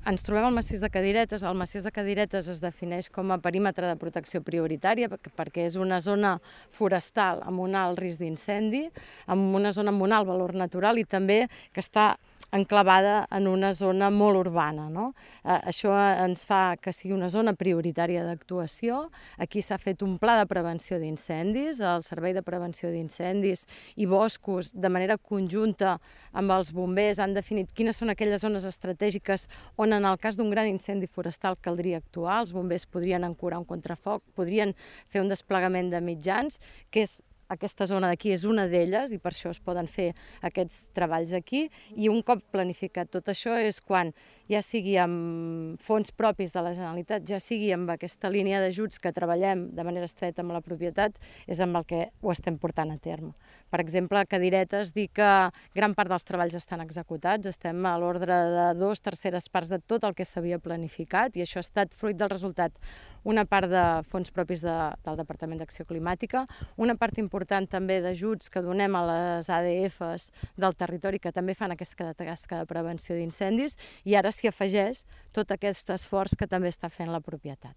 Ens trobem al massís de Cadiretes. El massís de Cadiretes es defineix com a perímetre de protecció prioritària perquè és una zona forestal amb un alt risc d'incendi, amb una zona amb un alt valor natural i també que està enclavada en una zona molt urbana, no? Això ens fa que sigui una zona prioritària d'actuació. Aquí s'ha fet un pla de prevenció d'incendis, el Servei de Prevenció d'Incendis i Boscos, de manera conjunta amb els bombers, han definit quines són aquelles zones estratègiques on en el cas d'un gran incendi forestal caldria actuar. Els bombers podrien ancorar un contrafoc, podrien fer un desplegament de mitjans, que és aquesta zona d'aquí és una d'elles i per això es poden fer aquests treballs aquí, i un cop planificat tot això és quan, ja sigui amb fons propis de la Generalitat, ja sigui amb aquesta línia d'ajuts que treballem de manera estreta amb la propietat, és amb el que ho estem portant a terme. Per exemple, a Cadiretes, dir que gran part dels treballs estan executats, estem a l'ordre de 2/3 parts de tot el que s'havia planificat, i això ha estat fruit del resultat, una part de fons propis del Departament d'Acció Climàtica, una part important també d'ajuts que donem a les ADFs del territori que també fan aquesta tasca de prevenció d'incendis, i ara s'hi afegeix tot aquest esforç que també està fent la propietat.